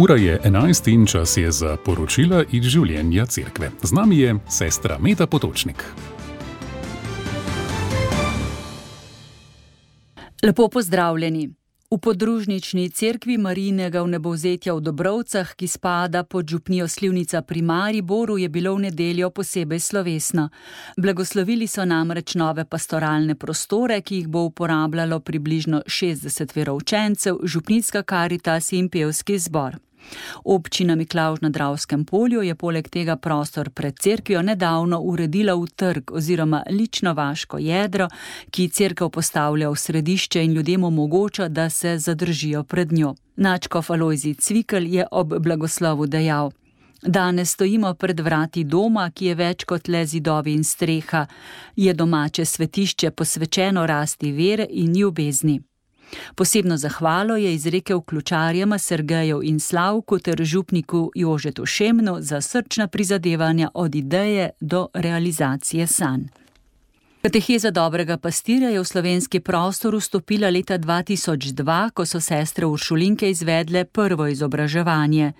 Ura je 11 in čas je za poročila iz življenja cerkve. Z nami je sestra Meta Potočnik. Lepo pozdravljeni. V podružnični cerkvi Marijinega vnebovzetja v Dobrovcah, ki spada pod župnijo Slivnica pri Mariboru, je bilo v nedeljo posebej slovesno. Blagoslovili so namreč nove pastoralne prostore, ki jih bo uporabljalo približno 60 veroučencev, župnijska karitas in pevski zbor. Občina Miklavž na Dravskem polju je poleg tega prostor pred cerkvijo nedavno uredila v trg oziroma lično vaško jedro, ki cerkev postavlja v središče in ljudem omogoča, da se zadržijo pred njo. Nadškof Alojzij Cvikl je ob blagoslovu dejal: Danes stojimo pred vrati doma, ki je več kot le zidovi in streha. Je domače svetišče posvečeno rasti vere in ljubezni. Posebno zahvalo je izrekel ključarjema Sergeju in Slavku ter župniku Jožetu Šemnu za srčna prizadevanja od ideje do realizacije sanj. Kateheza dobrega pastirja je v slovenski prostor vstopila leta 2002, ko so sestre Uršulinke izvedle prvo izobraževanje.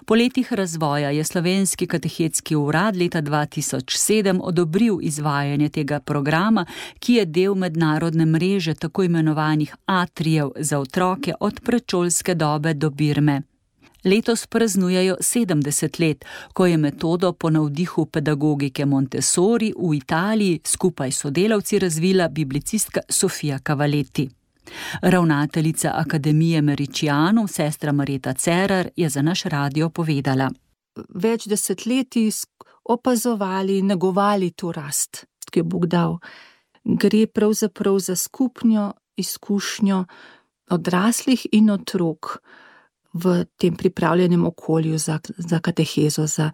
Po letih razvoja je Slovenski katehetski urad leta 2007 odobril izvajanje tega programa, ki je del mednarodne mreže tako imenovanih atrijev za otroke od predšolske dobe do birme. Letos praznujejo 70 let, ko je metodo po navdihu pedagogike Montessori v Italiji skupaj s sodelavci razvila biblicistka Sofia Cavalletti. Ravnateljica Akademije Mericianum, sestra Marjeta Cerar, je za naš radio povedala: Več desetletij opazovali, negovali to rast, ki je Bog dal. Gre pravzaprav za skupno izkušnjo odraslih in otrok v tem pripravljenem okolju za katehezo, za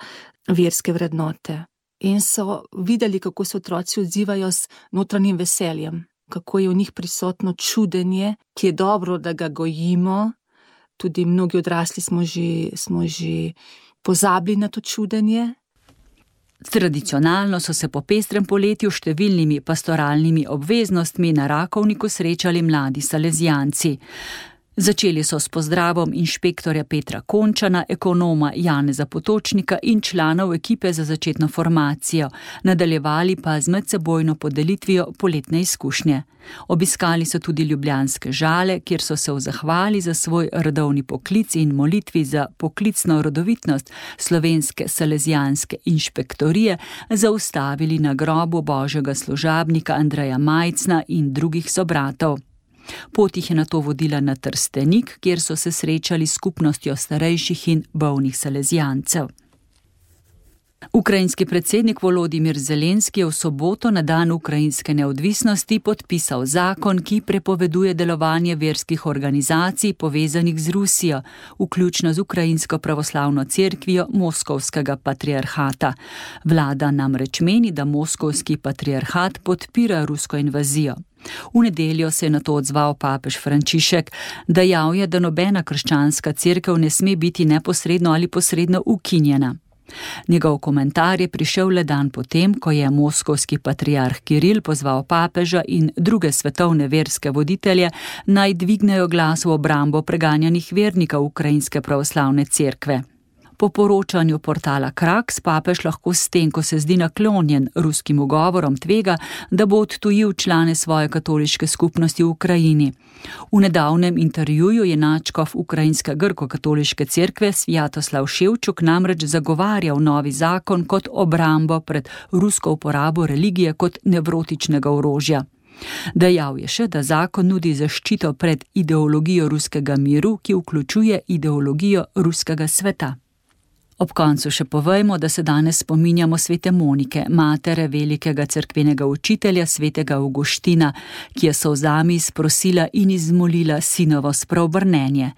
verske vrednote. In so videli, kako se otroci odzivajo s notranjim veseljem, kako je v njih prisotno čudenje, ki je dobro, da ga gojimo. Tudi mnogi odrasli smo že pozabili na to čudenje. Tradicionalno so se po pestrem poletju številnimi pastoralnimi obveznostmi na Rakovniku srečali mladi salezijanci. Začeli so s pozdravom inšpektorja Petra Končana, ekonoma Janeza Potočnika in članov ekipe za začetno formacijo, nadaljevali pa z medsebojno podelitvijo poletne izkušnje. Obiskali so tudi ljubljanske Žale, kjer so se v zahvali za svoj rodovni poklic in molitvi za poklicno rodovitnost slovenske salezijanske inšpektorije zaustavili na grobu božjega služabnika Andreja Majcna in drugih sobratov. Pot jih je nato vodila na Trstenik, kjer so se srečali s skupnostjo starejših in bolnih salezijancev. Ukrajinski predsednik Volodimir Zelenski je v soboto na dan ukrajinske neodvisnosti podpisal zakon, ki prepoveduje delovanje verskih organizacij povezanih z Rusijo, vključno z Ukrajinsko pravoslavno cerkvijo Moskovskega patriarhata. Vlada namreč meni, da Moskovski patriarhat podpira rusko invazijo. V nedeljo se je na to odzval papež Frančišek, dejal je, da nobena krščanska cerkev ne sme biti neposredno ali posredno ukinjena. Njegov komentar je prišel le dan potem, ko je moskovski patriarh Kiril pozval papeža in druge svetovne verske voditelje, naj dvignejo glas v obrambo preganjanih vernikov ukrajinske pravoslavne cerkve. Po poročanju portala Kraks papež lahko s tem, ko se zdi naklonjen ruskim ugovorom, tvega, da bo odtujil člane svoje katoliške skupnosti v Ukrajini. V nedavnem intervjuju je nadškof ukrajinske grko-katoliške cerkve Svjatoslav Ševčuk namreč zagovarjal novi zakon kot obrambo pred rusko uporabo religije kot nevrotičnega orožja. Dejal je še, da zakon nudi zaščito pred ideologijo ruskega miru, ki vključuje ideologijo ruskega sveta. Ob koncu še povejmo, da se danes spominjamo svete Monike, matere velikega cerkvenega učitelja svetega Avguština, ki je solzami sprosila in izmolila sinovo spreobrnenje.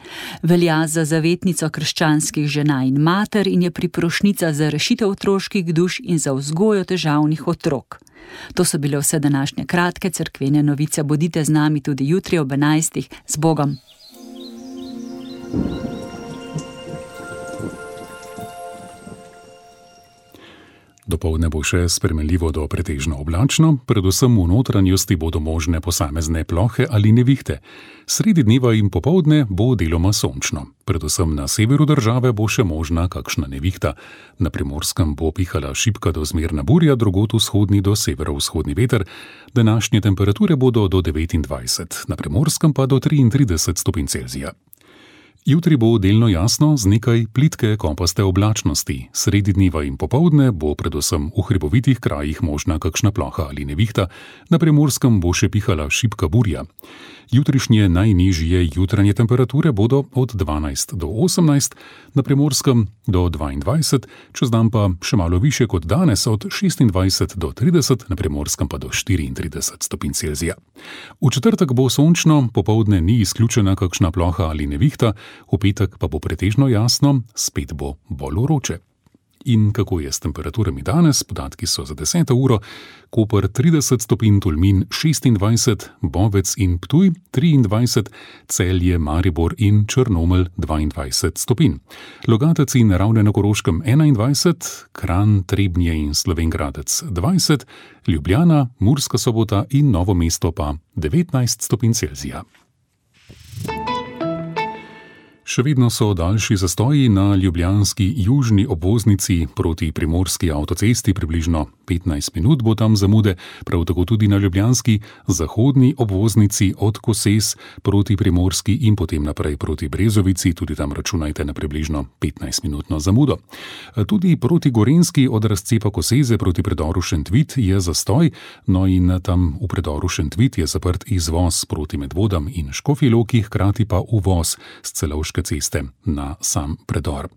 Velja za zavetnico krščanskih žena in mater in je priprošnica za rešitev otroških duš in za vzgojo težavnih otrok. To so bile vse današnje kratke cerkvene novice. Bodite z nami tudi jutri ob 11. Z Bogom! Dopoldne bo še spremenljivo do pretežno oblačno, predvsem v notranjosti bodo možne posamezne plohe ali nevihte. Sredi dneva in popoldne bo deloma sončno. Predvsem na severu države bo še možna kakšna nevihta. Na Primorskem bo pihala šibka do zmerna burja, drugod vzhodni do severovzhodni veter. Današnje temperature bodo do 29, na Primorskem pa do 33 stopinj Celzija. Jutri bo delno jasno z nekaj plitke kopaste oblačnosti. Sredi dneva in popoldne bo predvsem v hribovitih krajih možna kakšna ploha ali nevihta, na Primorskem bo še pihala šibka burja. Jutrišnje najnižje jutranje temperature bodo od 12 do 18, na Primorskem do 22, čez dan pa še malo više kot danes od 26 do 30, na Primorskem pa do 34 stopinj Celzija. V četrtek bo sončno, popoldne ni izključena kakšna ploha ali nevihta, v petek pa bo pretežno jasno, spet bo bolj vroče. In kako je s temperaturami danes? Podatki so za 10. uro. Koper 30 stopinj, Tolmin 26, Bovec in Ptuj 23, Celje, Maribor in Črnomelj 22 stopinj. Logatec in Ravne na Koroškem 21, Kranj, Trebnje in Slovenj Gradec 20, Ljubljana, Murska Sobota in Novo mesto pa 19 stopinj Celzija. Še vedno so daljši zastoji na ljubljanski južni obvoznici proti primorski avtocesti, približno 15 minut bo tam zamude, prav tako tudi na ljubljanski zahodni obvoznici od Koses proti primorski in potem naprej proti Brezovici, tudi tam računajte na približno 15-minutno zamudo. Tudi proti Gorenjski od razcepa Koseze proti predoru Šentvit je zastoj, no in tam v predoru Šentvit je zaprt izvoz proti Medvodam in Škofji Loki, hkrati pa uvoz s Celovške ceste na sam predor.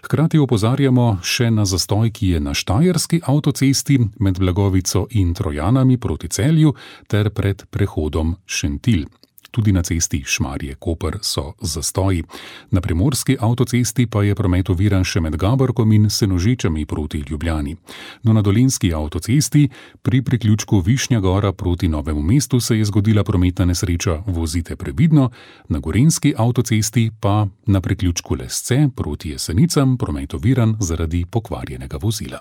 Hkrati opozarjamo še na zastoj, ki je na Štajerski avtocesti med Blagovico in Trojanami proti Celju ter pred prehodom Šentilj. Tudi na cesti Šmarje-Koper so zastoji. Na primorski avtocesti pa je promet oviran še med Gaborkom in Senožečami proti Ljubljani. No, na dolenjski avtocesti pri priključku Višnja Gora proti Novemu mestu se je zgodila prometna nesreča, vozite previdno. Na gorenjski avtocesti pa na priključku Lesce proti Jesenicam promet oviran zaradi pokvarjenega vozila.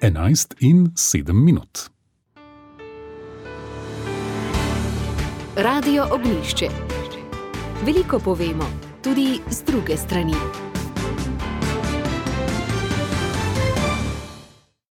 11:07. Radio Ognjišče. Veliko povemo, tudi z druge strani.